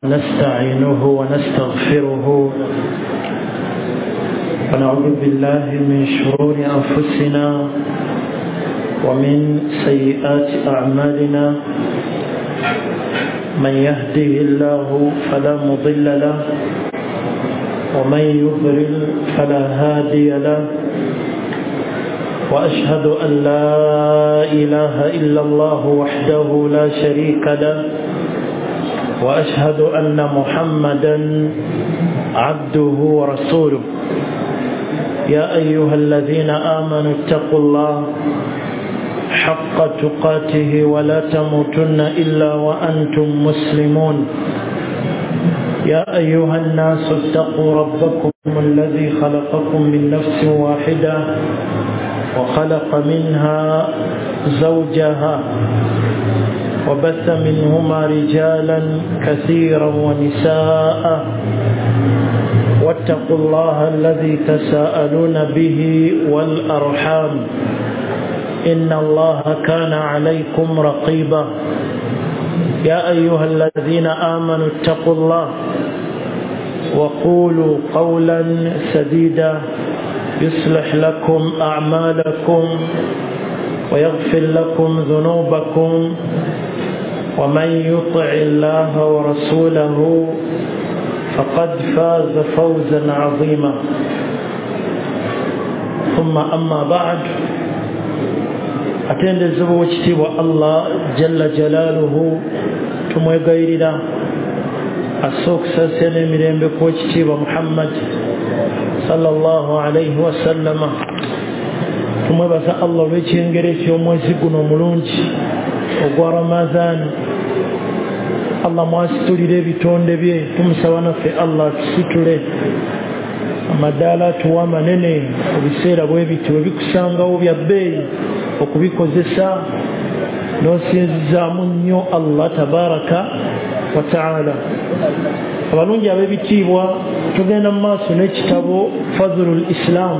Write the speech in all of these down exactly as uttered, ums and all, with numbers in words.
نستعينه ونستغفره ونعوذ بالله من شرور أنفسنا ومن سيئات أعمالنا، من يهده الله فلا مضل له ومن يضلل فلا هادي له، وأشهد أن لا إله إلا الله وحده لا شريك له، وأشهد أن محمدا عبده ورسوله. يا أيها الذين آمنوا اتقوا الله حق تقاته ولا تموتن إلا وأنتم مسلمون. يا أيها الناس اتقوا ربكم الذي خلقكم من نفس واحدة وخلق منها زوجها وبث منهما رجالا كثيرا ونساء، واتقوا الله الذي تساءلون به والأرحام إن الله كان عليكم رقيبا. يا أيها الذين آمنوا اتقوا الله وقولوا قولا سديدا يصلح لكم أعمالكم ويغفر لكم ذنوبكم، ومن يطع الله ورسوله فقد فاز فوزا عظيما. ثم أما بعد، atendezebwa ekitiibwa Allah jalla jalaaluhu, tumwegayirira asse okusaasira n'emirembe kw'ekitiibwa Muhammad sallallahu alayhi wasallama. Tumwebaza Allah olw'ekyengera eky'omwezi guno omulungi ogwa Ramadhan. Allah mwasitulira ebitonde bye, tumusaba naffe Allah tusitule amadaala atuwa manene ebiseera bwe biti bwe bikusangawo bya bbeeyi okubikozesa n'osinzizaamu nnyo Allah tabaraka wa taala. Abalungi ab'ebitiibwa, tugenda mu maaso n'ekitabo Fadhlul Islam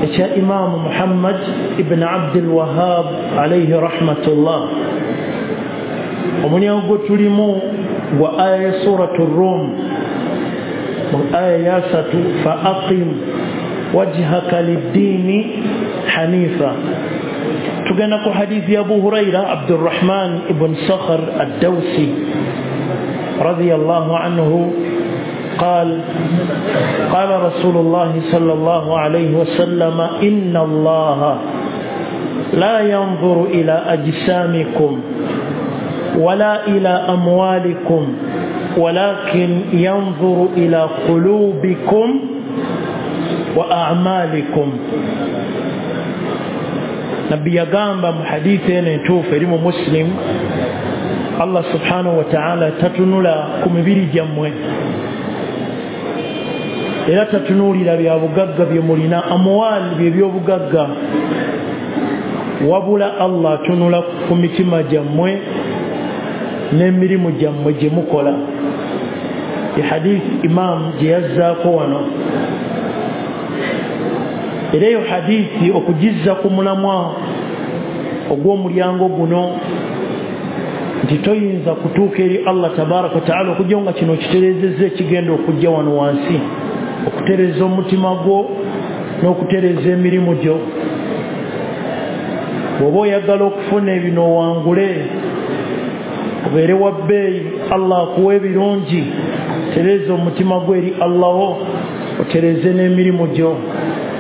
ekya Imaamu Muhammad ibn Abdul Wahhab alayhi rahmatullah. Omulyango gwe tulimu gwa aya ya Suratu Rum, mu aya ya satu, fa aqim wajhaka liddiini hanifa. Tugenda ku hadithi ya Abu Huraira Abdurrahman ibn Sakhr ad-Dawsi radiyallahu anhu قال قال رسول الله صلى الله عليه وسلم: إن الله لا ينظر إلى أجسامكم ولا إلى أموالكم ولكن ينظر إلى قلوبكم وأعمالكم. Nabbi yagamba mu hadithi eno entuufu eri mu Muslim, Allah subhanahu wa ta'ala tatunula ku mibiri gyammwe, era tatunuulira bya bugagga bye mulina, amwali bye by'obugagga, wabula Allah atunula ku mitima gyammwe n'emirimu gyammwe gye mukola. Hadithi Imam gye yazzaako wano, era eyo hadithi okugizza ku mulamwa ogw'omulyango guno nti toyinza kutuuka eri Allah tabaraka wa taala okujja nga kino kitereezezza ekigenda okujja wano wansi, okutereeza omutima gwo n'okutereeza emirimu gyo. Bw'oba oyagala okufuna ebino owangule, obeere wa bbeeyi, Allah akuwa ebirungi, tereeza omutima gwo eri Allah wo, otereeze n'emirimu gyo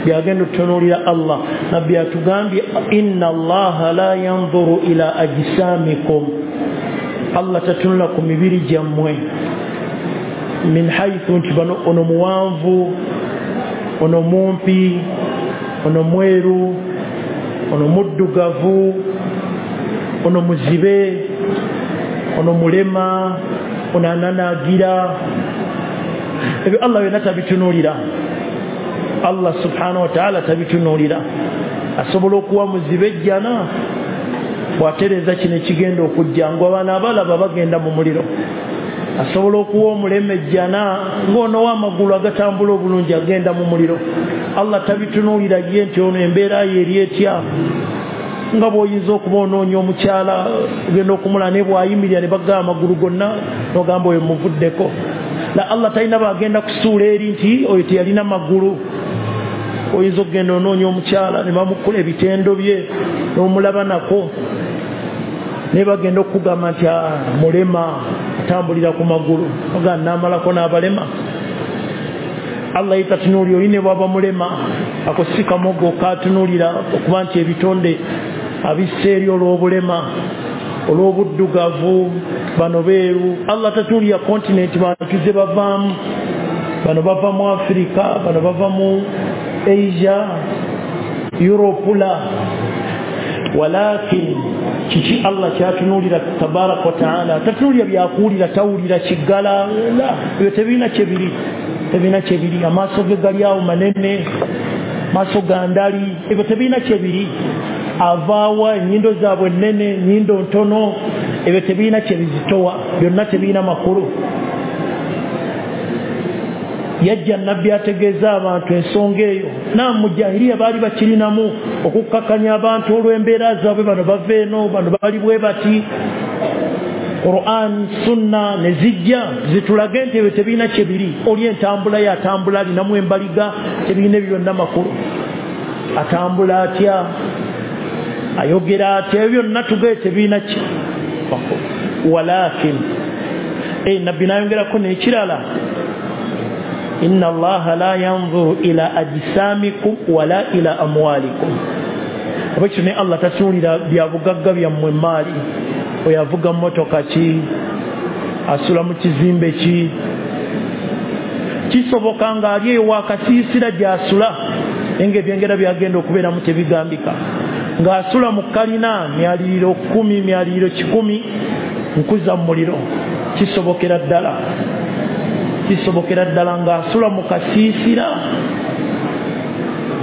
byagenda otunuulira Allah. Nabbi atugambye inna Allaha la yanzuru ila ajsamikum, Allah tatunula ku mibiri gyammwe, min haythu nti bano ono muwanvu, ono mumpi, ono mweru, ono muddugavu, ono muzibe, ono mulema, ono ananaagira. Ebyo Allah byonna tabitunuulira. Allah subhanahu wa ta'ala tabitunuulira. Asobola okuwa muzibe ejjana bw'atereeza kino ekigenda okujja, ng'abaana abalaba bagenda mu muliro. Asobola okuwa omulema ejjana ng'ono w'amagulu agatambula obulungi agenda mu muliro. Allah tabitunuulira ye nti ono embeera ye eri etya. Nga bw'oyinza okuba onoonya omukyala ogenda okumula naye bw'ayimirira ne bagamba amagulu gonna n'ogamba oyo muvuddeko. La Allah talina bagenda kusuula eri nti oyo teyalina magulu. Oyinza okugenda onoonya omukyala ne bamukula ebitendo bye n'omulaba nako, naye bagenda okugamba nti mulema, atambulira ku magulu, ogamba n'amalako n'abalema. Allah ye tatunuulira oli ne bw'aba mulema, ako si kamogo katunuulira okuba nti ebitonde abissa eri olw'obulema, olw'obuddugavu, bano beeru. Allah tatunuulira kontinenti bantu ze bavaamu, bano bava mu Afirika, bano bava mu Asia, Europe. La walakin kiki Allah kyatunuulira tabaraka wa taala? Tatunuulira byakuwulira, tawulira kiggala, la ebyo tebirina kyebiri, tebirina kyebiri. Amaaso ge gali awo manene, maaso ga ndali, ebyo tebirina kyebiri. Avaawa, ennyindo zaabwe nnene, nnyindo ntono, ebyo tebirina kyebizitowa, byonna tebirina makulu. Yajja nabbi ategeeza abantu ensonga eyo. Na mu jahiliya baali bakirinamu okukkakanya abantu olw'embeera zaabwe, bano bava eno, bano bali bwe bati. Quran, sunna ne zijja zitulage nti ebyo tebirina kyebiri. Oli entambula ye atambula alinamu embaliga, tebirina ebyo byonna makulu. Atambula atya, ayogera atya, ebyo byonna tugaye tebirina ki makulu. Walakin e nabbi n'ayongerako n'ekirala, inna allaha la yanzuru ila ajsamikum wala ila amwalikum. Abekyo ne Allah tatunuulira bya bugagga byammwe, emaali, oyo avuga mmotoka ki, asula mu kizimbe ki. Kisoboka ng'ali eyo wakasiisira gy'asula, naye ng'ebyengera byagenda okubeeramu tebigambika. Ng'asula mu kalina myaliriro kkumi, myaliriro kikumi, nkuza mu muliro. Kisobokera ddala, kisobokera ddala ng'asula mu kasiisira,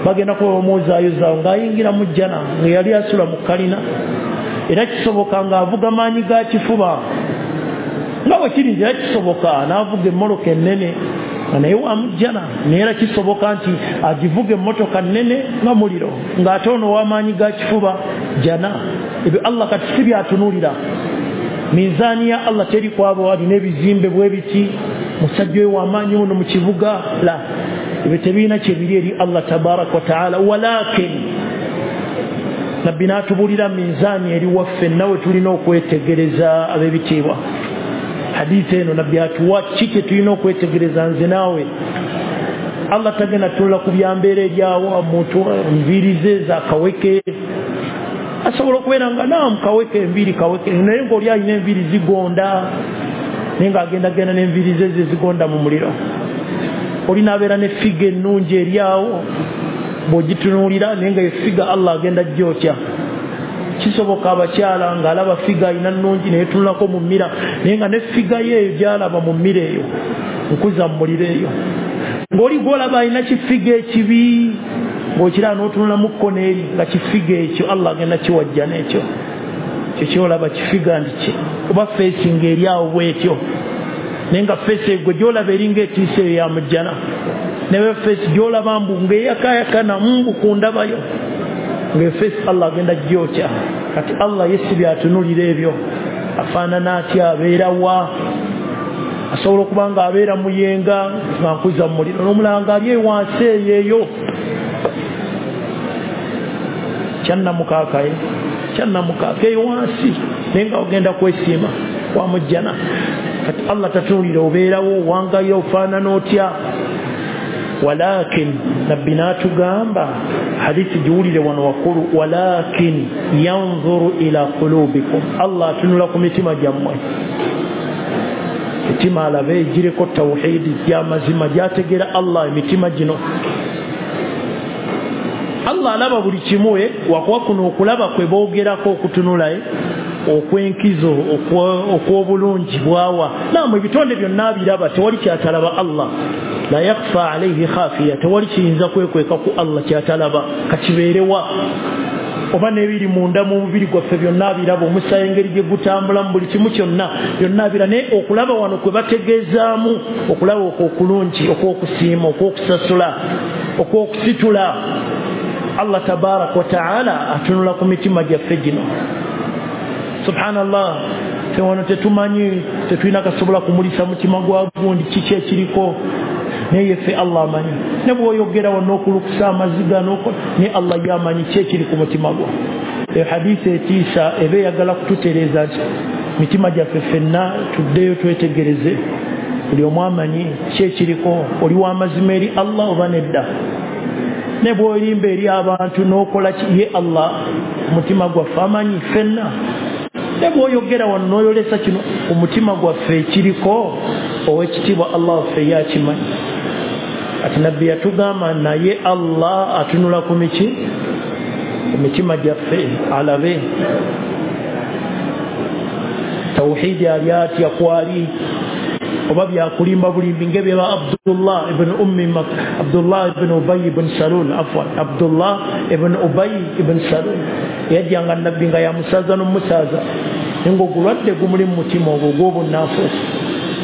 bagenda kuba bamuwozaayozaawo ng'ayingira mu jjana nga yali asula mu kalina. Era kisoboka ng'avuga maanyi ga kifuba, nga bwe kiri nti era kisoboka n'avuga emmotoka ennene nga naye wa mu jjana. Naye era kisoboka nti agivuga emmotoka nnene nga muliro, ng'ate ono w'amaanyi ga kifuba jjana. Ebyo Allah kati si byatunuulira. Minzaani ya Allah teri kwabo alina ebizimbe bwe biti, musajja oyo w'amaanyi muno mu kibuga. La, ebyo tebirina kyebiri eri Allah tabaraka wa taala. Walakin nabbi n'atubuulira minzaani eri waffe, nawe tulina okwetegereza ab'ebitiibwa. Hadithi eno nabbi atuwa ki kye tulina okwetegereza nze naawe. Allah tagenda tunula ku byambeera eryawo, omuntu enviiri ze za kaweke, asobola okubeera nga naamu kaweke, enviiri kaweke, naye ng'oli alina enviiri zigonda, naye ng'agendagenda n'enviiri ze ze zigonda mu muliro. Oli n'abeera ne figa ennungi eryawo, bw'ogitunuulira naye nga efiga Allah agenda gyotya. Kisoboka abakyala ng'alaba figa alina nnungi naye tunulako mu mmira, naye nga ne figa ye eyo gy'alaba mu mmira eyo nkuza mu muliro eyo. Ng'oli gw'olaba alina kifiga ekibi, ng'okiraba n'otunulamu kkono eri nga kifiga ekyo Allah agenda kiwajja n'ekyo kyo ky'olaba kifiga nti ki, oba feesi ng'eri awo bw'etyo, naye nga feesi egwe gy'olaba eringa etiisa eyo ya mujjana. Naye feesi gy'olaba mbu ng'eyakaayakana mbu ku ndabayo, ng'efeesi Allah agenda gyotya. Kati Allah ye si byatunuulira ebyo. Afaanana atya, abeera wa? Asobola okuba nga abeera muyenga nga nkuza mu muliro, n'omulala ng'ali ewansi eyo eyo kyannamukaakaye, kyannamukaaka eyo wansi, naye nga ogenda kwesiima wa mujjana. Kati Allah tatunuulira obeerawo, owangayo, ofaanana otya. Walakin nabbi n'atugamba, hadithi giwulire wano wakkulu, walakin yanzuru ila qulubikum, Allah atunula ku mitima gyammwe. Emitima alabe egiriko tawhidi gy'amazima, gy'ategeera Allah emitima gino. Allah alaba buli kimu, wakuba kuno okulaba kwe boogerako okutunula okwenkizo okw'obulungi bwawa. Namu ebitonde byonna abiraba, tewali kyatalaba Allah. La yakfa alayhi khafiya, tewali kiyinza kwekweka ku Allah kyatalaba, kakibeerewa. Oba n'ebiri munda mu mubiri gwaffe byonna abiraba, omusaayi engeri gye gutambulamu, buli kimu kyonna byonna abira. Naye okulaba wano kwe bategeezaamu okulaba okwo okulungi, okw'okusiima, okw'okusasula, okw'okusitula. Allah tabaraka wa taala atunula ku mitima gyaffe gino. Subhanallah, ffe wano tetumanyi, tetulina kasobola kumulisa mutima gwa gundi kiki ekiriko, naye ffe Allah amanyi. Ne bw'oyogera wano okulukusa amaziga ne Allah yamanyi ki ekiri ku mutima gwo. Ehadisi etiisa eba eyagala kututereeza nti mitima gyaffe ffenna tuddeyo twetegereze, buli omu amanyi ki ekiriko, oli w'amazima eri Allah oba nedda. Ne bw'olimba eri abantu n'okola ki, ye Allah omutima gwaffe amanyi ffenna. Ne bw'oyogera wano n'oyolesa kino omutima gwaffe ekiriko, ow'ekitiibwa Allah waffe yakimanyi. Ati Nabbi yatugamba naye Allah atunula ku miki emitima gyaffe alabe tawhidi ali atya kwali, oba byakulimba bulimbi ng'ebya Abdullah ibn Ummi Abdullah ibn Ubay ibn Salul, afwan Abdullah ibn Ubay ibn Salul yajjanga Nabbi nga yamusaza n'omusaza, naye ng'ogulwadde gumuli mu mutima ogwo ogw'obunnanfuusi.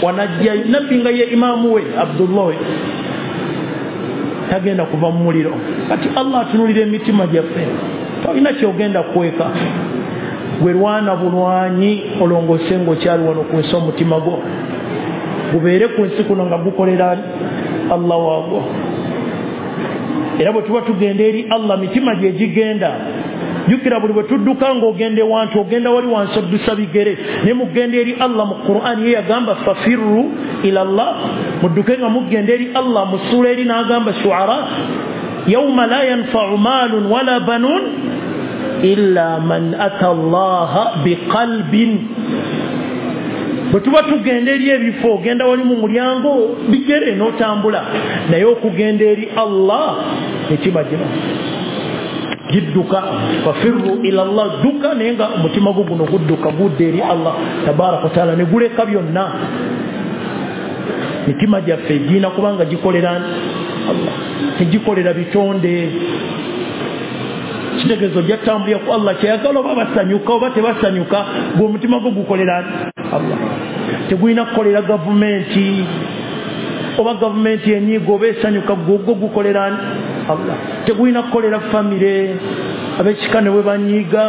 Wanajja Nabbi nga ye imaamu we Abdullah tagenda kuva mu muliro. Kati Allah atunulira emitima gyaffe, tolina kyogenda kweka. Gwe lwana bulwanyi olongoose ng'okyali wano ku nsi, omutima gwo gubeere ku nsi kuno nga gukolera Allah waagwo. Era bwe tuba tugenda eri Allah mitima gye gigenda. Jjukira buli bwe tudduka ng'ogenda ewantu, ogenda wali wansi oddusa bigere, naye mugenda eri Allah. Mu Qur'an ye yagamba fafirru ila Allah, mudduke nga mugenda eri Allah. Mu ssuula eri n'agamba Shu'ara, yawma la yanfa'u maalun wala banun illa man ata Allaha biqalbin. Bwe tuba tugenda eri ebifo, ogenda wali mu mulyango bigere n'otambula, naye okugenda eri Allah mitima gino gidduka. Fafirru ila Allah, dduka naye nga omutima gwo guno gudduka gudda eri Allah tabaraka wataala, ne guleka byonna. Mitima gyaffe girina kubanga gikolera Allah, tegikolera bitonde. Kitegeezo gyatambulira ku Allah kyeyagala, oba basanyuka oba tebasanyuka, gwe omutima gwo gukolera Allah. Tegulina kukolera gavumenti, oba gavumenti enyiiga oba esanyuka, gwe gukolera Allah. Tegulina kukolera famire, ab'ekika ne bwe banyiiga,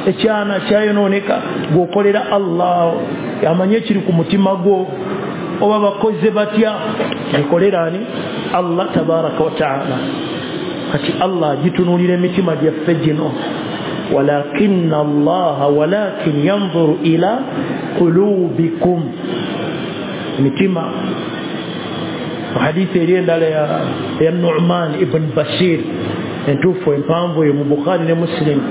ekyana kyayonooneka, gw'okolera Allah amanyi ekiri ku mutima gwo, oba bakoze batya, gikolera ani? Allah tabaraka wa taala. Kati Allah gitunuulira emitima gyaffe gino. Walakinna Allaha walakin yanzuru ila qulubikum, emitima. Hadithi eri endala ya Nu'man ibn Bashir entuufu empanvu eyo mu Bukhari ne Muslim,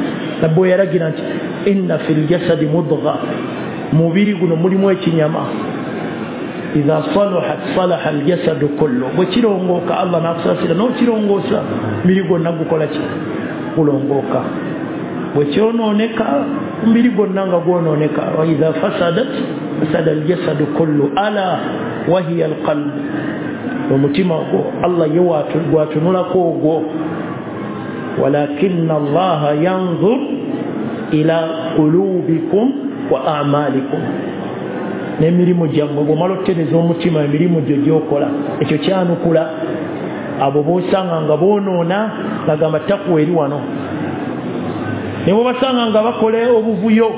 Nabbi we yalagira nti inna fil jasadi mudgha, mubiri guno mulimu ekinyama, idha salahat salaha aljasadu kullu, bwe kirongooka Allah n'akusaasira n'okirongoosa, mubiri gwonna gukola ki? Gulongooka. Bwe kyonooneka omubiri gwonna nga gwonooneka. Wa idha fasadat fasada aljasadu kullu ala wahiya alqalb. Omutima ogwo Allah ye gwatunulako ogwo. Walakinna Allaha yanzur ila qulubikum wa a'malikum, n'emirimu gyammwe. Bw'omala otutereeza omutima, emirimu gyo gy'okola ekyo kyanukula. Abo b'osanga nga boonoona bagamba takuwa eri wano, ne bw'obasanga nga bakola obuvuyo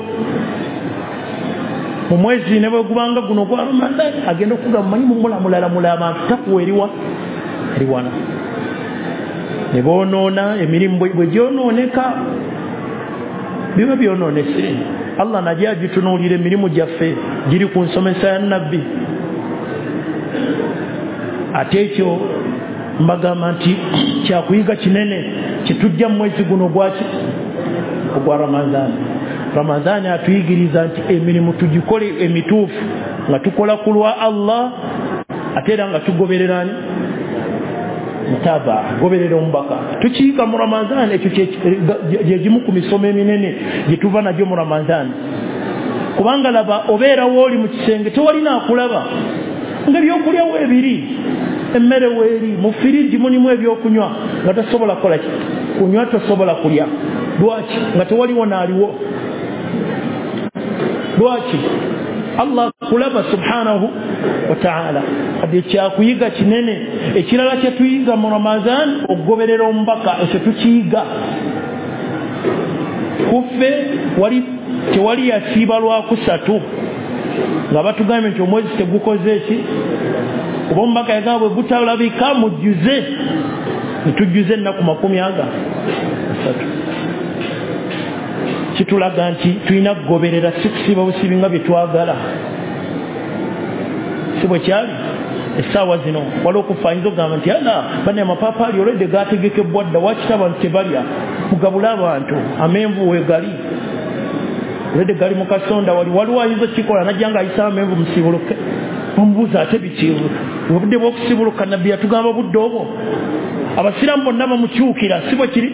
mu mwezi ne bwe gubanga guno gwa Ramadhan, agenda okugamba mumanyi mumulamulalamula abantu, takuwa eriwa eri wano. Ne boonoona, emirimu bwe gyonooneka biba byonoonese. Allah najja agitunuulira emirimu gyaffe giri ku nsomesa ya Nabbi. Ate ekyo mbagamba nti kyakuyiga kinene kitujja mu mwezi guno gwaki? Ogwa Ramadhan. Ramadhan atuyigiriza nti emirimu tugikole emituufu nga tukola ku lwa Allah, ate era nga tugoberera mutaba, goberera omubaka. Tukiyiga mu Ramadhan, ekyo gye gimu ku misomo eminene gye tuva nagyo mu Ramadhan. Kubanga laba obeerawo oli mu kisenge tewalina akulaba, nga ebyokulya weebiri, emmere weeri, mu firiji mulimu ebyokunywa, nga tosobola kukola ki? Kunywa tosobola kulya. Lwaki? Nga tewaliwo n'aliwo. Lwaki? Allah kulaba subhanahu wa ta'ala. Kati ekyakuyiga kinene. Ekirala kye tuyiga mu Ramadhan, okugoberera omubaka, ekyo tukiyiga. Kuffe wali tewali yasiiba lwakusatu nga batugambye nti omwezi tegukoze ki, kuba omubaka yagamba bwe gutalabika mujjuze, ne tujjuze ennaku makumi aga asatu. Kitulaga nti tulina kugoberera, si kusiiba busiibi nga bye twagala. Si bwe kyali essaawa zino waliwo okufa ayinza okugamba nti ala bane amapaapaali olwedde gategekebwa dda, wakita abantu tebalya, mugabule abantu, amenvu weegali olwedde gali mu kasonda wali. Waliwo ayinza okukikola najja nga ayisa amenvu musiibuluke, bamubuuza ate biki obudde bw'okusibuluka? Nabbi yatugamba budde obwo abasiraamu bonna bamukyukira. Si bwe kiri?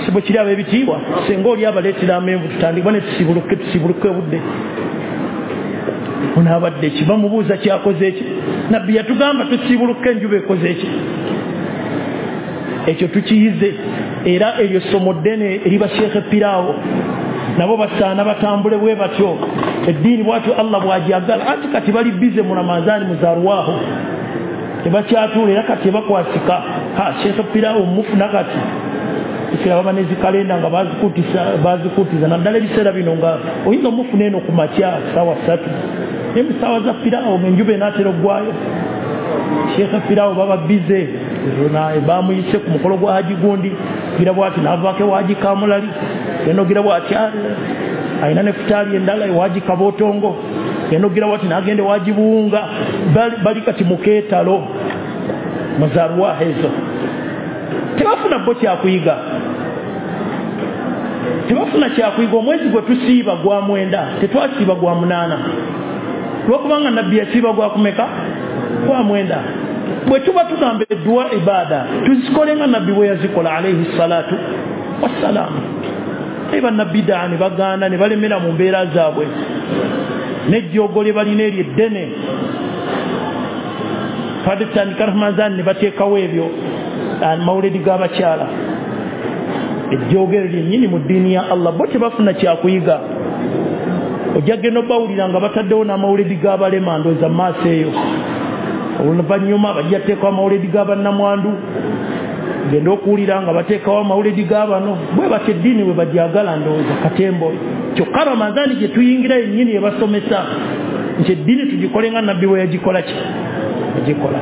Si bwe kiri ab'ebitiibwa? Singa oli abaleetera amenvu tutandikwa ne tusibuluke, tusibuluke obudde onaabadde ki? Bamubuuza kyakoze ki? Nabbi yatugamba tusibuluke enjuba ekoze ki? Ekyo tukiyize. Era eryo ssomo ddene eri basheekhe piraawo, nabo basaana batambule bwe batyo. Eddiini bwatyo Allah bw'agyagala. Anti kati bali bize mu Ramadhaani muzaarwaho, tebakyatuula era kati tebakwasika. Ha, sheekhe piraawo mufuna kati ekira baba ne zikalenda nga bazikutisa, bazikutiza naddala ebiseera bino nga oyinza omufuna eno ku makya ssaawa ssatu, naye mu ssaawa za piraawo ng'enjuba enaatera oggwayo. Sheekhe piraawo baba bize, bamuyise ku mukolo gwa Haji gundi, gira bwati n'avaako ewaji Kamulali, genda ogira bwati alina ne futaali endala ewaji Kabootongo, genda ogira bwati n'agenda ewaji Buwunga. Bali kati mu keetalo muzaarwaho ezo, tebafuna bo kyakuyiga, tebafuna kyakuyiga. Omwezi gwe tusiiba gwa mwenda, tetwasiiba gwa munaana, lwokubanga nabbi yasiiba gwa kumeka? Gwa mwenda. Bwe tuba tugamba edduwa ibaada tuzikole nga nabbi bwe yazikola alayhi salatu wassalaamu. Naye bannabbidaa ne bagaana ne balemera mu mbeera zaabwe, n'ejjoogo lye balina eryo eddene. Twabadde tutandika Ramadhan ne bateekawo ebyo amawuledi g'abakyala, ejjoogo eryo lyennyini mu ddiini ya Allah. Bo tebafuna kyakuyiga. Ojja genda obawulira nga bataddewo n'amawuledi g'abalema, ndowooza mu maaso eyo. Oluvannyuma bajja teekawo amawuledi g'abannamwandu, genda okuwulira nga bateekawo amawuledi g'abano. Bwe batyo eddiini bwe bagyagala, ndowooza katembo. Kyokka Ramadhaani gye tuyingira yennyini ebasomesa nti eddiini tugikole nga nabbi bwe yagikola ki agikola.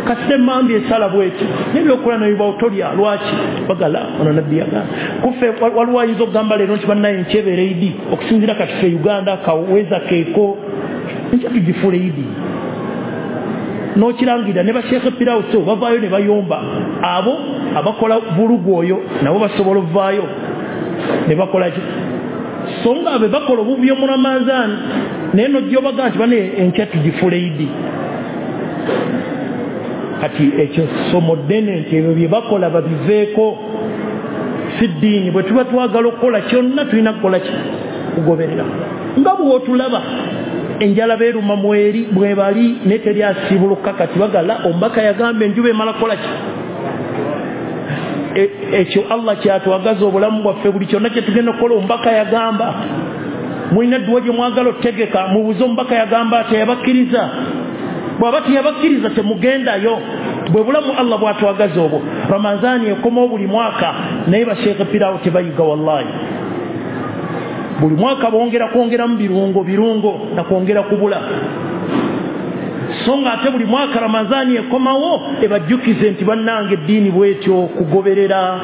Kasita emmambi esala bweti n'ebyokola nebibawo tolya, lwaki? Bagala ono nabbi yagamba. Kuffe waliwo ayinza okugamba leero nti bannaye nkyebeera Idi, okusinziira kati ffe Uganda kaweza keeko nkya tugifuula Idi. N'okirangira ne basheekhe piraawo so bavaayo ne bayomba. Abo abakola vulugu oyo nabo basobola ovaayo ne bakola ki? So nga be bakola obuvuyo mu Ramadhaani, naye nojja obaga nti bane enkya tugifuula Idi. Kati ekyo ssomo ddene nti ebyo bye bakola babiveeko, si ddiini. Bwe tuba twagala okukola kyonna tulina kukola ki? Kugoberera. Nga bw'otulaba enjala beeruma mweri bwe bali naye teri asiibuluka. Kati bagala omubaka yagamba enjuba emala kukola ki? Ekyo Allah kyatwagaza obulamu bwaffe, buli kyonna kye tugenda okukola omubaka yagamba. Mulina edduwa gye mwagala otegeka, mubuuze omubaka yagamba teyabakkiriza. Bw'aba teyabakkiriza temugendayo. Bwe bulamu Allah bw'atwagaza obwo. Ramadhaani ekomawo buli mwaka, naye basheekhe piraawo tebayiga wallahi. Buli mwaka bongera kwongeramu birungo birungo na kwongera kubula. So nga ate buli mwaka Ramadhaani ekomawo ebajjukize nti bannange eddiini bwetyo kugoberera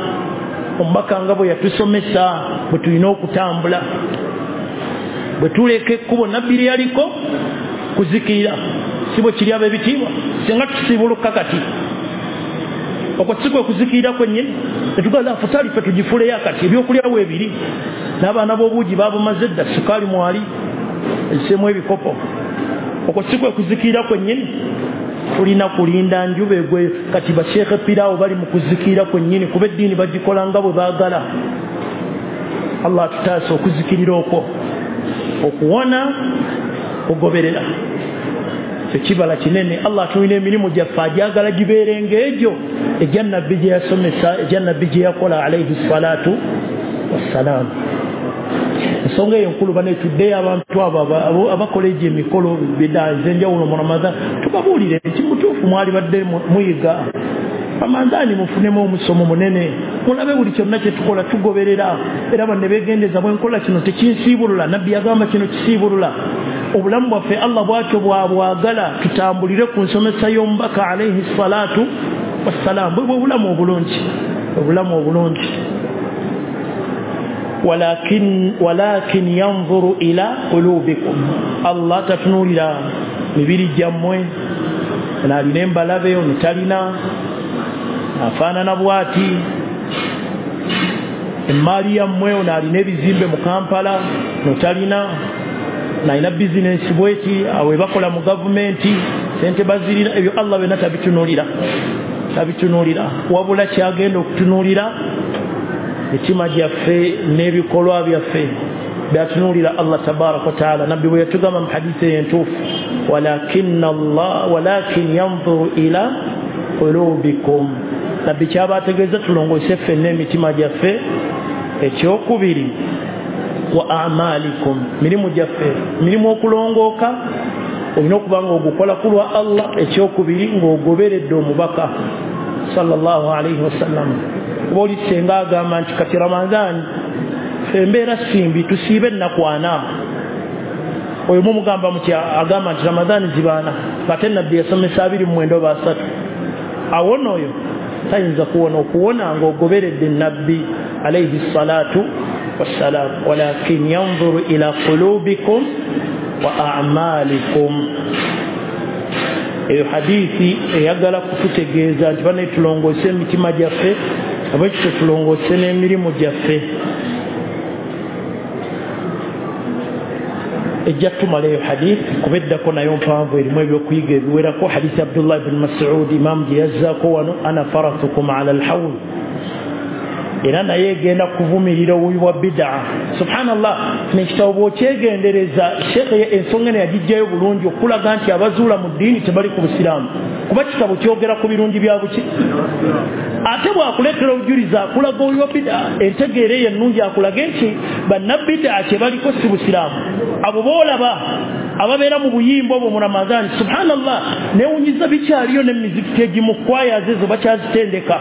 omubaka nga bwe yatusomesa bwe tulina okutambula. Bwe tuleka ekkubo nabbi lye yaliko kuzikirira, si bwe kiri ab'ebitiibwa? Singa tusiibuluka kati okwo si kwe kuzikirira kwennyini, netugala afutaali ffe tugifuuleyo akati, ebyokulya weebiri n'abaana b'obuugi babumaze dda, sukaali mwali eziseemu ebikopo. Okwo si kwe kuzikirira kwennyini. Tulina kulinda njuba egwe. Kati basheekhe piraawo bali mu kuzikirira kwennyini, kuba eddiini bagikola nga bwe baagala. Allah atutaase okuzikirira okwo, okuwona kugoberera. Ekibala kinene. Allah atulina emirimu gyaffe agyagala gibeere ng'egyo egya nabbi gye yasomesa, egya nabbi gye yakola alayhi salatu wassalaamu. Ensonga eyo enkulu bane tuddeyo abantu abo abakola egyo emikolo bida ez'enjawulo mu Ramadhan tubabuulire nti mutuufu mwali badde muyiga Ramadhani, mufunemu omusomo munene, mulabe buli kyonna kye tukola tugoberera, era banne beegendeza bwe nkola kino tekinsiibulula, nabbi yagamba kino kisiibulula. Obulamu bwaffe Allah bwatyo bwabwagala tutambulire ku nsomesa y'omubaka alayhi salatu wassalam, bwe bulamu obulungi, obulamu obulungi. Walakin walakin yanzuru ila qulubikum, Allah tatunuulira mibiri gyammwe, ono alina embalabe, ono talina, afaanana bw'ati, emmaali yammwe, ono alina ebizimbe mu Kampala, ono talina, nalina bizinensi bweti, awo bakola mu gavumenti sente bazirina, ebyo Allah byonna tabitunuulira, tabitunuulira. Wabula kyagenda okutunuulira mitima gyaffe n'ebikolwa byaffe byatunuulira Allah tabaraka wa taala. Nabbi bwe yatugamba mu hadithi eyo entuufu, walakinna Allah walakin yanzuru ila qulubikum, nabbi kyaba ategeeza tulongoose ffenna emitima gyaffe. Ekyokubiri wa a'malikum, mirimu gyaffe, mirimu okulongooka olina okuba nga ogukola ku lwa Allah. Ekyokubiri ng'ogoberedde omubaka sallallahu alaihi wasallam. Kuba oli senga agamba nti kati Ramadhani ffe embeera simbi, tusiibe ennaku ana. Oyo mumugamba mutya? Agamba nti Ramadhani zibaana, ate nabbi yasomesa abiri mu mwenda oba asatu. Awona oyo tayinza kuwona, okuwona ng'ogoberedde nabbi alaihi salatu wassalam. Walakin yanzuru ila qulubikum wa a'malikum. Eyo hadithi eyagala kututegeeza nti bane tulongoose emitima gyaffe, abekito tulongoose n'emirimu gyaffe. Ejja tumala eyo hadithi kuba eddako nayo mpanvu, erimu ebyokuyiga ebiwerako. Hadithi Abdullah ibn Mas'ud imam gye yazzaako wano, ana faratukum ala alhawl, era naye egenda kuvumirira obubi bwa bidaa. Subhanallah, nekitabo bw'okyegendereza sheekhe ensonga eno yagiggyayo bulungi okulaga nti abazuula mu ddiini tebali ku busiraamu, kuba kitabo kyogera ku birungi bya buki, ate bw'akuleetera obujulizi akulaga obubi bwa bidaa. Entegeera eyo ennungi akulage nti bannabidaa kye baliko si busiraamu. Abo boolaba ababeera mu buyimba obwo mu Ramadhani, subhanallah, neewunyiza bikyaliyo n'emizikiti egimu kwayazi ezo bakyazitendeka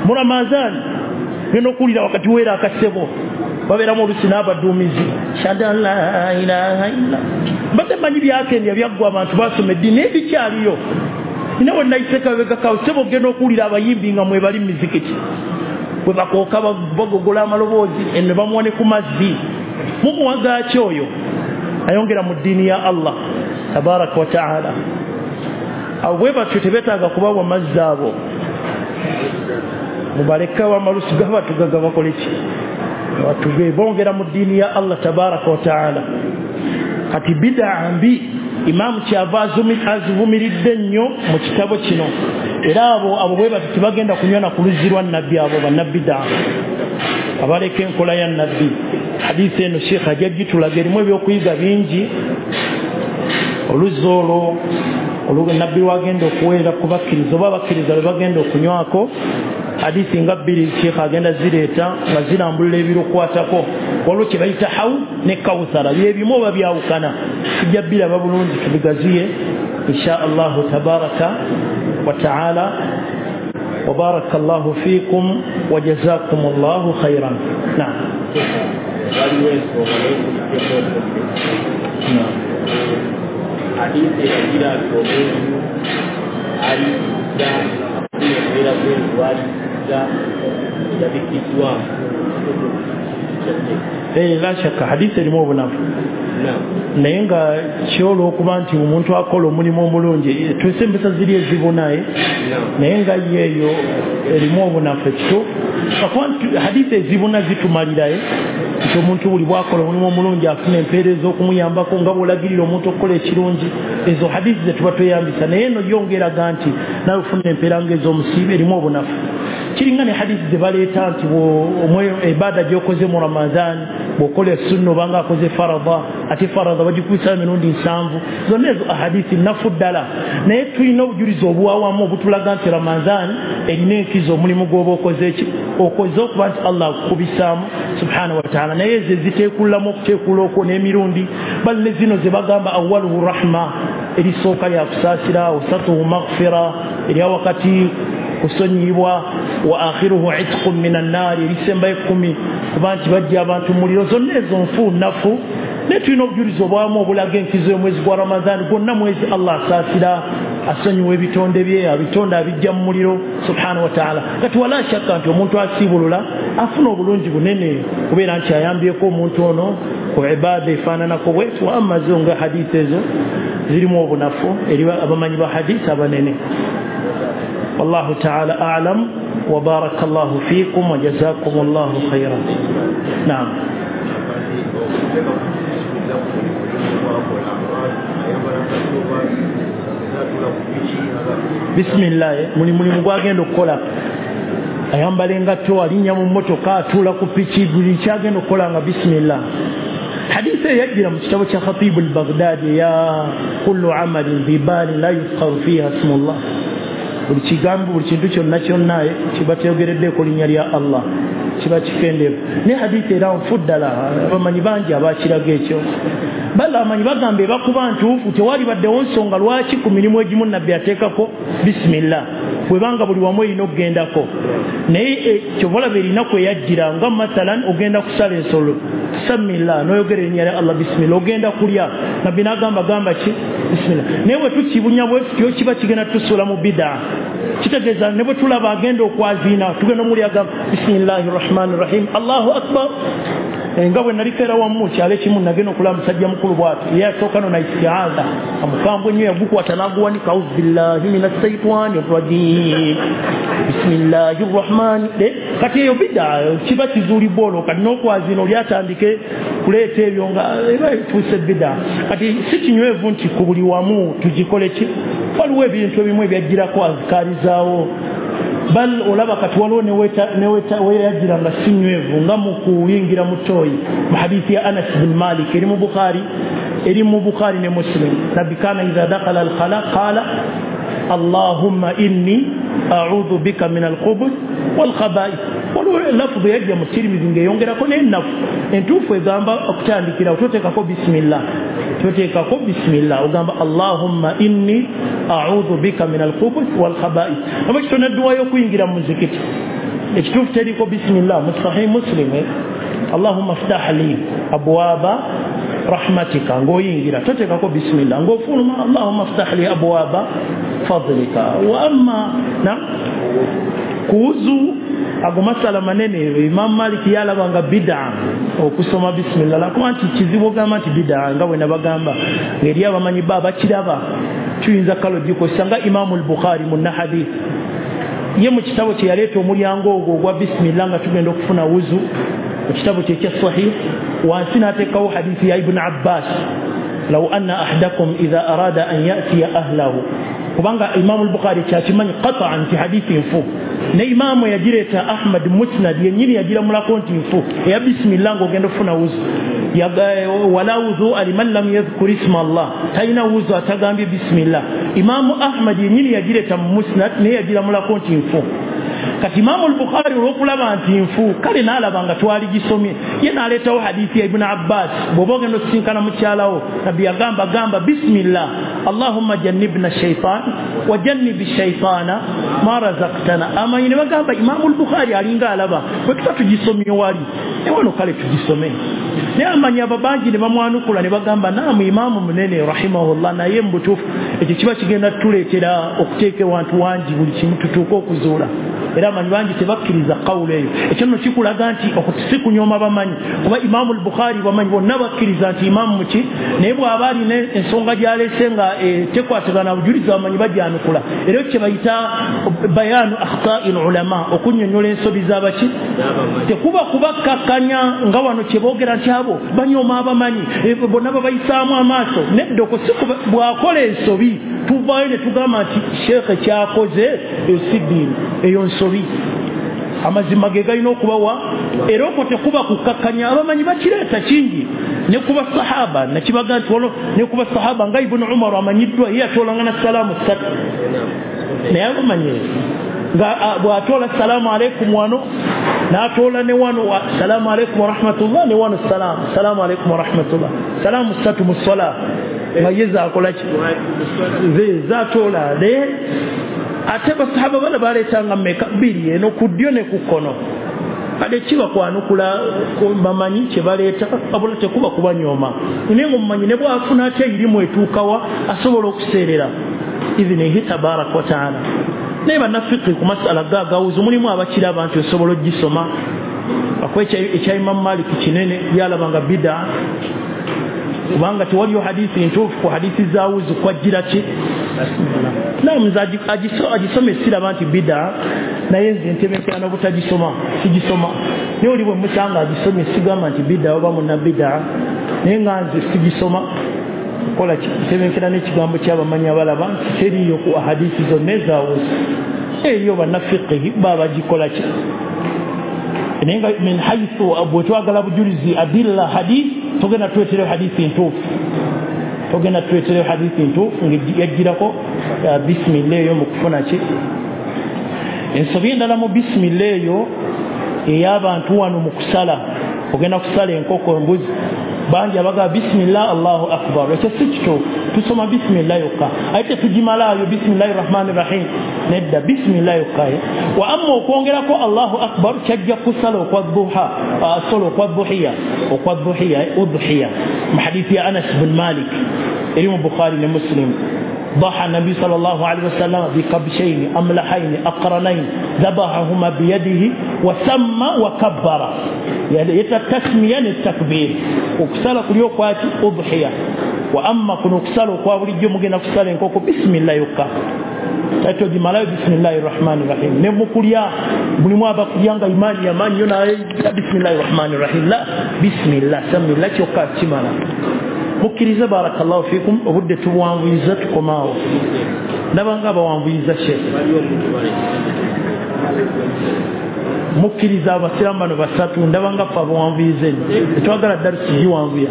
mu Ramadhani. Genda okuwulira wakati weera akasebo babeeramu olusi n'abaduumizi, shada la ilaha illa, mbadde mmanyi byakendya byaggwa abantu basoma eddiini, naye bikyaliyo. Nina we nayiseka sebo ogenda okuwulira abayimbi nga mwebali mu mizikiti bwe bakooka bagogola amaloboozi ne bamuwa ne ku mazzi. Mumuwaga ki oyo ayongera mu ddiini ya Allah tabaraka wa taala? Abo bwe batyo tebeetaaga kubawa mazzi abo, mubaleke amalusu gabatugaga bakole ki, batuge bongera mu ddiini ya Allah tabaraka wa taala. Kati bidaa mbi imaamu kyava azivumiridde nnyo mu kitabo kino, era abo abo bwe batyo tebagenda kunywa na ku luzzi lwa nabbi, abo bannabidaa abaleka enkola ya nabbi. Hadithi eno sheekh ajja gitulaga, erimu ebyokuyiga bingi. Oluzzi olwo nabbi lwagenda okuweera ku bakkiriza oba abakkiriza lwe bagenda okunywako, hadithi nga bbiri sheekh agenda zireeta nga zirambulula ebirukwatako. Waliwo kye bayita hawu ne kawuthara, byebimu oba byawukana, tujja biraba bulungi tubigaziye insha allahu tabaraka wa taala. Wabaraka allahu fiikum wa jazakum allahu khairan. Naam. Waliwo ensonga hadithi eragira nti omuntu alisiza afuna embeera bweru alisiza yabikiddwa. La shakka hadithi erimu obunafu, naye nga kyolwokuba nti omuntu akola omulimu omulungi tuuse empisa ziri ezibunaye, naye nga yeeyo erimu obunafu ekituufu. Akuba nti hadithi ezibuna zitumaliraye nti omuntu buli bwakola omulimu omulungi afuna empeera ez'okumuyambako nga bw'olagirira omuntu okukola ekirungi, ezo hadithi ze tuba tweyambisa. Naye eno yongeraga nti nawe ofuna empeera ng'ez'omusiibe, erimu obunafu. Kiringa ne hadithi ze baleeta nti ebaada gy'okoze mu Ramadhan Bw'okola sunna obanga akoze faradha, ate faradha bagikubisa emirundi nsanvu. Zonna ezo ahadithi nnafu ddala, naye tulina obujulizi obwawamu obutulaga nti Ramadhan erina enkizo omulimu gw'oba okoze ki okoze okuba nti Allah akukubisaamu subhanahu wa ta'ala. Naye ezo eziteekulamu okuteekula okwo n'emirundi, bali ne zino ze bagamba awwaluhu rahma, erisooka lya kusaasira, wasatuhu maghfira, erya wakati kusonyiyibwa, wa akhiruhu itqun minan naari, erisembayo ekkumi kuba nti bajja abantu muliro. Zonna ezo nfu nnafu, naye tulina obujulizi obwamu obulaga enkizo y'omwezi gwa Ramadhan. Gwonna mwezi Allah asaasira, asonyiwa ebitonde bye, abitonde abijja mu muliro subhanahu wa ta'ala. Kati wala shakka nti omuntu asiibulula afuna obulungi bunene kubeera nti ayambyeko omuntu ono ku ibaada efaananako bwetu. Amma zo nga hadithi ezo zirimu obunafu eri abamanyi ba hadithi abanene. Wallahu ta'ala a'lam wa barakallahu fiikum wa jazakumullahu khairan. Naam. Bismillah, muli mulimu gwagenda okukola, ayambala engatto, alinnya mu mmotoka, atuula ku piki, buli kyagenda okukola nga bismillah. Hadithi eyajjira mu kitabo kya Khatibu al-Baghdadi ya kullu amalin bibalin la yuzkaru fiha ismullah, buli kigambo, buli kintu kyonna kyonna kiba kyogereddeko linnya lya Allah kiba kikendeevu. Naye hadithi era nfu ddala, abamanyi bangi abakiraga ekyo. Bala amanyi bagamba ebakuba ntuufu, tewali baddewo nsonga lwaki ku mirimu egimu nabbi ateekako bismillah, bwebanga buli wamu erina okugendako. Naye kyova olaba erinaku eyajjira nga mathalan ogenda kusala ensolo, samillah, n'oyogera erinnya lya Allah bismillah. Ogenda kulya, nabbi n'agamba gamba ki bismillah. Naye bwe tukibunya bwe tutyo kiba kigenda tusuula mu bidaa. Kitegeeza ne bwe tulaba agenda okwaziina tugenda omuli agamba bismillahi rahmani rahim, Allahu akbar. Nga bwe naliko era wamu kyalo ekimu nagenda okulaba musajja mukulu bw'ati, ye asooka no na istiaza, amukambwe nnyo yagukwata n'aguwanika, auzu billahi minash shaitani rajim bismillahi rahmani. Kati eyo bidaa kiba kizuulibwa olwo, kati n'okwazina oli atandike kuleeta ebyo nga eba efuuse bidaa. Kati si kinywevu nti ku buli wamu tugikole ki, waliwo ebintu ebimu ebyajjirako azikaari zaawo. Bal olaba kati waliwo neweyajjira nga si nywevu, nga mu kuyingira mu ttooyi, mu hadithi ya Anas bin Malik eri mu Bukhari, eri mu Bukhari ne Muslim, nabbi kana idha dakhala al-khala qala allahumma inni a'udhu bika min al-khubuth wal khaba'ith. Waliwo lafudhu yajja mu Tirmidhi ng'eyongerako n'ennafu entuufu egamba okutandikira toteekako bismillah, toteekako bismillah, ogamba allahumma inni a'udhu bika min al-khubuth wal khaba'ith. Aba kitona dduwa y'okuyingira mu muzikiti ekituufu teriko bismillah mu Sahih Muslim, allahumma ftah li abwaba rahmatika, ng'oyingira toteekako bismillah, ng'ofuluma allahumma ftah li abwaba fadlika. Wa amma na kuuzu ago masala manene, Imam Malik yalabanga bid'a okusoma bismillah, lakuba nti kizibu ogamba nti bid'a nga bwe nabagamba ng'eri abamanyi ba bakiraba tuyinza kalo gikozesa nga Imam al-Bukhari mu hadith ye mu kitabo kye yaleeta omulyango ogwo ogwa bismillah nga tugenda okufuna wuzu mu kitabo kye ekya Sahih, wansi n'ateekawo hadithi ya Ibn Abbas, law anna ahadakum idha arada an ya'tiya ahlahu, kubanga Imam al-Bukhari kyakimanyi qat'an nti hadithi nfu, ne imamu yagireeta Ahmad Musnad yennyini yagiramulako nti nfu eya bismillah ng'ogenda okufuna wuzu. Wala wudhu'a liman lam yadhkur isma Allah, talina wuzu atagambye bismillah. Imamu Ahmad yennyini yagireeta mu Musnad naye yagiramulako nti nfu. Kati Imamu al-Bukhari olw'okulaba nti nfu kale n'alaba nga twaligisomye, ye n'aleetawo hadithi ya Ibn Abbas, bw'oba ogenda osisinkana mukyalawo nabbi yagamba gamba bismillah allahumma jannibna shaitan wa jannibi shaitana ma razaqtana. Amanyi ne bagamba Imamu al-Bukhari alinga alaba bwe tuba tugisomye wali naye wano kale tugisome. Naye amanyi ababangi ne bamwanukula ne bagamba naamu imaamu munene rahimahullah, naye mu butuufu ekyo kiba kigenda tutuleetera okuteeka ewantu wangi buli kimu tutuuke okuzuula. Era amanyi bangi tebakkiriza kawulo eyo. Ekyo nno kikulaga nti si kunyooma bamanyi, kuba Imaamu al-Bukhari bamanyi bonna bakkiriza nti imaamu muki, naye bw'aba alina ensonga gy'aleese nga tekwatagana bujulizi bamanyi bagyanukula. Era ekyo kye bayita bayaanu akhta'i ulama, okunnyonnyola ensobi z'abaki. Tekuba kubakkakkanya nga wano kye boogera nti abo banyooma abamanyi bonna babayisaamu amaaso. Nedda okwo si bw'akola ensobi tuvaayo ne tugamba nti sheekhe kyakoze eyo si ddiini, eyo nsobi. Amazima ge galina okubawa era okwo tekuba kukakkanya. Abamanyi bakireeta kingi ne kuba sahaba nakibaga nti wano ne kuba sahaba nga Ibn Umar amanyiddwa ye yatoolanga na salaamu ssatu, naye abamanyi nga bw'atoola salaamu aleikum wano n'atoola ne wano salaamu aleikum warahmatullah ne wano salaamu salaamu aleikum warahmatullah, salaamu ssatu mu swala nga ye zaakola ki ze zaatoola. Naye ate basahaba bana baleetanga mmeka? Bbiri, eno ku ddyo ne ku kkono. Kale kiba kwanukula bamanyi kye baleeta, wabula tekuba kubanyooma. Naye ng'omumanyi ne bw'afuna ate erimu etuukawa asobola okuseerera idhinihi tabaraka wa taala. Naye bannafiki ku masala ga agawuzi mulimu abakiraba nti osobola ogisoma. Akuwa ekya Imamu Malik kinene yalabanga bida, kubanga tewaliyo hadithi ntuufu ku hadithi za wuzu kwajjira ki. Naam, nze agisome siraba nti bida, naye nze ntebenkera n'obutagisoma sigisoma. Naye oli bwe musanga agisomye sigamba nti bida oba munna bida, naye nga nze sigisoma. Kola ki ntebenkera n'ekigambo ky'abamanyi abalaba nti teriiyo ku hadithi zonna ezawuzu, eriyo bannafiqihi babagikola ki. Naye nga min haythu bwe twagala bujulizi adilla hadith, togenda tuleetereyo hadithi ntuufu, togenda tuleetereyo hadithi ntuufu ng'yajjirako bisimillah eyo mu kufuna ki. Ensobi endala mu bisimillah eyo ey'abantu wano mu kusala, ogenda kusala enkoko embuzi, bangi abagamba bisimillah Allahu akbar. Ekyo si kituufu, tusoma bisimillah yokka, ate tetugimalaayo bisimillahi rahmani rahim, nedda bisimillah yokka. Wa amma okwongerako Allahu akbar kyajja kusala okwa duha, sala okwa duhiya, okwa duhiya udhiya mu hadithi ya Anas bin Malik eri mu Bukhari ne Muslim. ضحى النبي صلى الله عليه وسلم بكبشين أملحين أقرنين ذبحهما بيده وسمى وكبر، يعني التسمية التكبير. وكسالة كل يوم أضحية. وأما كن كسالة كل يوم ممكن كسالة كوكو بسم الله يوكا تاتو بسم الله الرحمن الرحيم. نمكوليا بلموا بكوليا إيمان يمان ينا بسم الله الرحمن الرحيم، لا بسم الله سمي الله يوكا تمانا. Mukkirize barakallahu fikum, obudde tubuwanvuyiza tukomaawo. Ndaba nga bawanvuyiza sheekh. Mukkiriza abasiraamu bano basatu, ndaba nga ffe abawanvuyiza ennyo. Tetwagala darusi giwanvuya,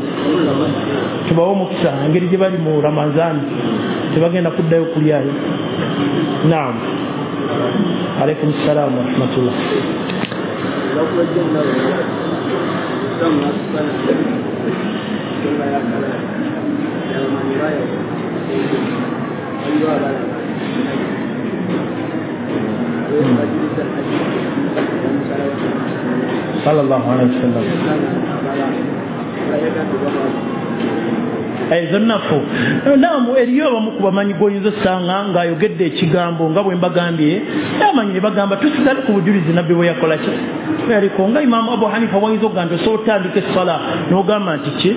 tubawe omukisa engeri gye bali mu Ramazaani tebagenda kuddayo kulyayo. Naam, alaikum salaamu warahmatullah. Sallallahu alaihi wasallam. Ezo nnafu. Naamu, eriyo abamu ku bamanyi g'oyinza osanga ng'ayogedde ekigambo nga bwe mbagambye, abamanyi ne bagamba tusigale ku bujulizi nabbi bwe yakola ki. Yaliko nga Imaamu Abu Hanifa wayinza okugamba nti osobola otandika essala n'ogamba nti ki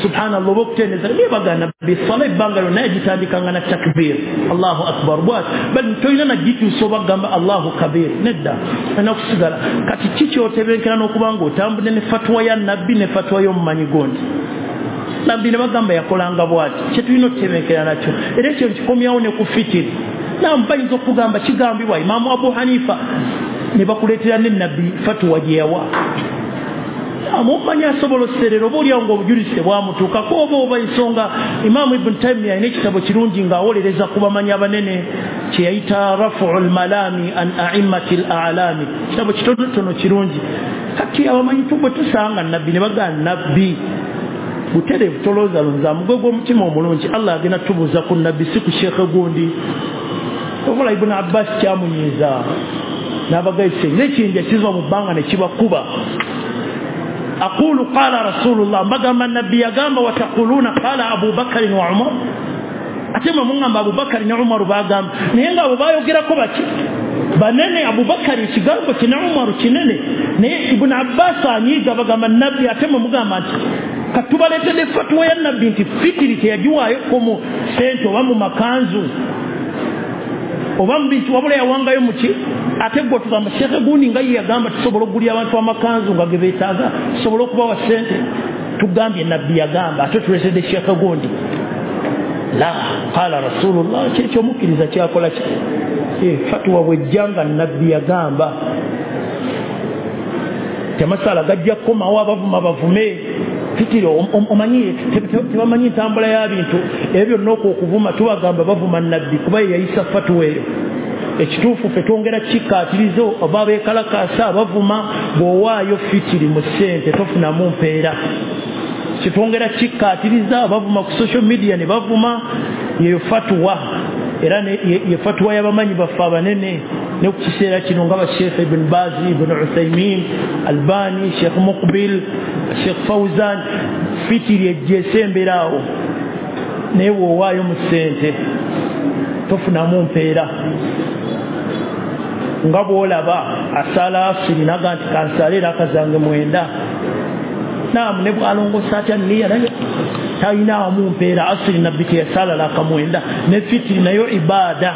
subhanallah oba okutendeza, naye bagamba nabbi essala ebbanga lyonna yagitandikanga na takbir Allahu akbar bwati, bali tolina nagituusa oba kugamba Allahu kabir, nedda olina kusigala. Kati ki kyotebenkera n'okuba ng'otambudde ne fatwa ya nabbi ne fatwa y'omumanyi gondi. Nabbi ne bagamba yakolanga bwati, kye tulina okutebenkera nakyo. Era ekyo nkikomyawo ne ku fitiri. Naam, bayinza okugamba kigambibwa Imaamu Abu Hanifa ne bakuleetera ne nabbi fatwa gye yawa. Amumanyi asobola oserera oba oliawo ng'obujulizi tebwamutuukako oba oba ensonga. Imaamu Ibn Taymiya alina ekitabo kirungi ng'awolereza ku bamanyi abanene kye yayita Rafu'ul Malami an A'immati al-A'lami, kitabo kitonotono kirungi. Kati abamanyi bwe tusanga nabbi ne bagamba nabbi butereevu tolowooza lonza mugwe gw'omutima omulungi, Allah agenda tubuuza ku nabbi si ku sheekhe gundi. Okola Ibn Abbas kyamunyiiza n'abagayise n'ekiyinja kiva mu bbanga ne kibakuba. Aqulu qala Rasulullah, mbagamba nabbi yagamba, wataquluna qala Abu Bakari wa Umar. Ate mwe mungamba Abu Bakari ne Umaru bagamba, naye nga abo bayogerako baki banene. Abu Bakari ekigambo kine, Umaru kinene, naye Ibn Abbas anyiiga bagamba nabbi, ate mwe mugamba nti katubaleetedde fatwa ya nabbi nti fitiri teyagiwaayoko mu sente oba mu makanzu oba mu bintu, wabula yawangayo muki. Ate gwe tugamba sheekhe gundi nga ye yagamba tusobola okugulira abantu amakanzu nga ge beetaaga, tusobola okubawa sente, tugambye nabbi yagamba, ate tuleetedde sheekhe gundi. La qala Rasulullah, kyekyo omukkiriza kyakola ki? Fatuwa bwejja nga nabbi yagamba temasala gajja kukomawo, abavuma bavume. Fitiri omanyi tebamanyi ntambula ya bintu ebyo byonna okuvuma tubagamba bavuma nabbi kuba ye yayisa fatuwa eyo. Ekituufu ffe twongera kikkaatiriza oba beekalakaasa abavuma, bw'owaayo fitiri mu ssente tofunamu mpeera. Kitwongera kikkaatiriza abavuma ku social media ne bavuma, yeyo fatuwa. Era ye fatuwa y'abamanyi baffe abanene ne ku kiseera kino nga ba Sheikh Ibn Baz, Ibn Uthaymin, Albani, Sheikh Muqbil, Sheikh Fawzan. Fitiri ejja esembera awo, naye bw'owaayo mu ssente tofunamu mpeera. Nga bw'olaba asala asiri naga nti kansale era akazange mwenda, naamu ne bw'alongosa atya niya naye talinaamu mpeera. Asiri nabbi teyasala laka mwenda, ne fitiri nayo ibaada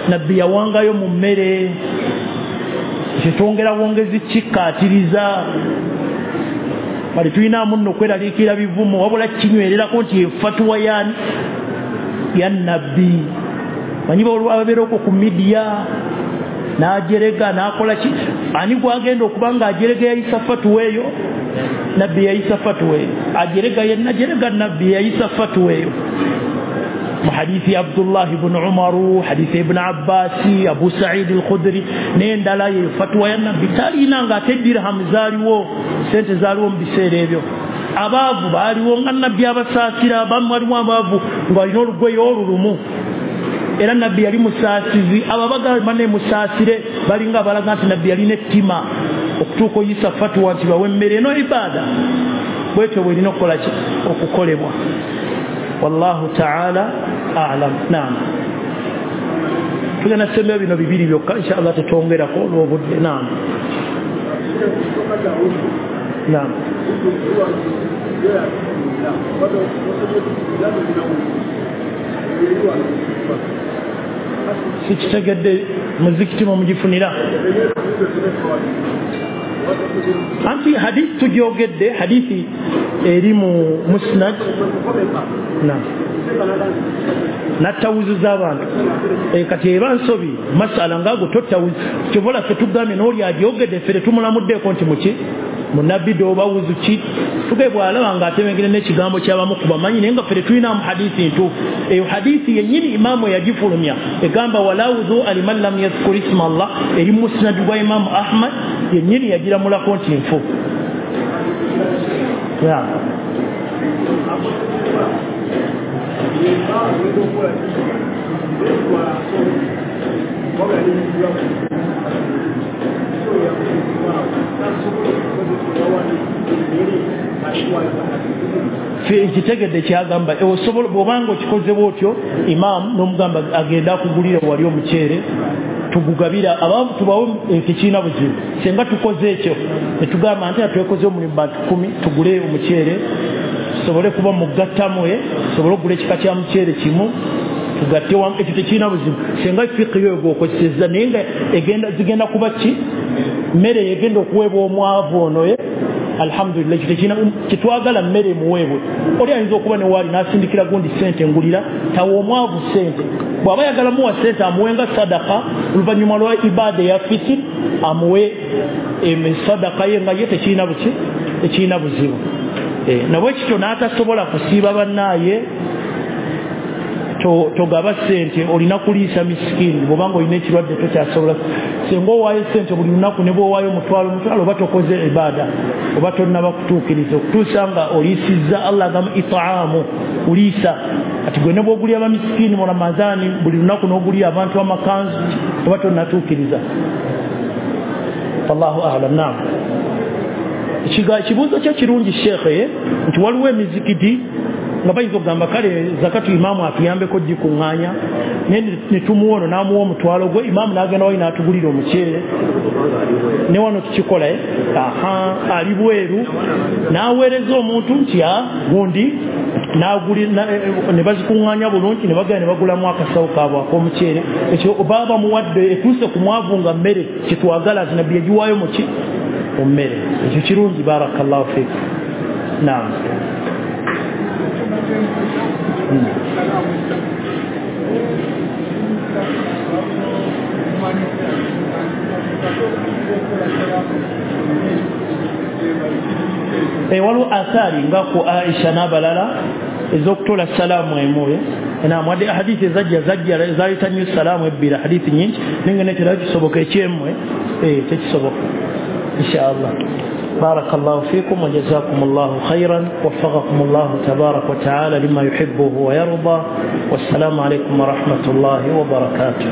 nabbi yawangayo mu mmere. Kyetwongera bwongezi kikkaatiriza. Bali tulinaamu nno okweraliikirira bivumo, wabula kinywererako nti efatuwa ya ya nabbi. Manyi ababeera okwo ku midiya n'ajerega n'akola ki, ani gwagenda okuba nga ajerega yayisa fatuwa eyo? Nabbi yayisa fatuwa eyo. Ajerega yenna jerega, nabbi yayisa fatuwa eyo. Mu hadithi Abdullah ibn Umaru, hadithi Ibn Abbasi, Abu Sa'id al-Khudri n'endala, ye fatuwa ya nabbi. Talina nga ate dirham zaaliwo, sente zaaliwo mu biseera ebyo. Abaavu baaliwo nga nabbi abasaasira, abamu waliwo abaavu ng'alina olugoye olulumu, era nabbi yali musaasizi. Abo abagamba ne musaasire balinga abalaga nti nabbi yalina ettima okutuuka oyisa fatuwa nti bawe emmere eno ibaada. Bwetyo bwerina okukola ki? Okukolebwa. Wallahu ta'ala a'lam. Naam, tugenda sembera bino bibiri byokka inshallah, tetwongerako olw'obudde. Naam, naam. Sikitegedde muzikiti mumugifunira. Anti hadithi tugyogedde, hadithi eri mu musnad. Naam, nattawuziza abantu. E, kati eba nsobi masala ngaago tottawuzi. Kyovola ffe tugambye n'oli agyogedde ffe tetumulamuddeko nti muki munabbi oba wuzu ki, tuge bw'alaba ng'atemengere n'ekigambo ky'abamu ku bamanyi, naye nga ffe tetulinamu hadithi ntuufu. Eyo hadithi yennyini imaamu eyagifulumya egamba wala wudhua liman lam yadhkur isma Allah, eri musnad gwa Imaamu Ahmad yennyini yagiramulako nti nfu. Ekitegedde kyagamba osobola bw'obanga okikoze bw'otyo, imaamu n'omugamba agenda akugulira wali omuceere tugugabira abaavu tubawe tekiina buzibu. Senga tukoze ekyo netugamba nti twekoze omulimu bantu kumi tugule omuceere tusobole kuba mugattamu, tusobole okugula ekika kya muceere kimu tugatte wamu, ekyo tekiina buzibu. Senga fiqhi yo gw'okozesezza, naye nga egenda zigenda kuba ki mmere egenda okuweebwa omwavu ono. Alhamdulillah, ekyo tekina kitwagala mmere emuweebwe. Oli ayinza okuba ne waali n'asindikira gundi ssente ngulira, tawa omwavu ssente. Bw'aba ayagala muwa ssente amuwenga sadaka, oluvannyuma lwa ibaada eya fitiri amuwe sadaka ye nga ye tekirina buki, tekirina buzibu. Nabwe kityo n'atasobola kusiiba bannaaye togaba ssente, olina kuliisa misikini. Bw'obanga olina ekirwadde tokyasobola, singa owaayo ssente buli lunaku ne bw'owaayo omutwalo omutwalo oba tokoze ibaada, oba tonnaba kutuukiriza okutuusa nga oliisizza. Allah agamba itaamu, kuliisa. Ati gwe ne bw'ogulira bamisikini mu Ramadaani buli lunaku n'ogulira abantu amakanzu oba tonnatuukiriza. Wallahu a'lam. Naam, ekibuuzo kyo kirungi sheekhe, nti waliwo emizikiti nga bayinza okugamba kale zakatu imaamu atuyambeko gikuŋŋaanya, naye ne tumuwa ono n'amuwa omutwalo gwe, imaamu n'agenda wali n'atugulira omuceere, ne wano tukikola. Aha, ali bweru n'aweereza omuntu nti a gundi ne bazikuŋŋaanya bulungi ne bagenda ne bagulamu akasawo kaabwe ak'omuceere. Ekyo baba bamuwadde etuuse ku mwavu nga mmere, kyetwagala nti nabbi yagiwaayo muki mu mmere. Ekyo kirungi, barakallahu fiik. Naam. Waliwo athari nga ku Aisha n'abalala ez'okutola salaamu emu naam, wadde hadithi ezajja zajja zaleeta nnyo salaamu ebbiri, hadithi nyingi, naye nga nekyo kisoboka ekyemmwe tekisoboka insha Allah. بارك الله فيكم وجزاكم الله خيرا، وفقكم الله تبارك وتعالى لما يحبه ويرضى، والسلام عليكم ورحمة الله وبركاته.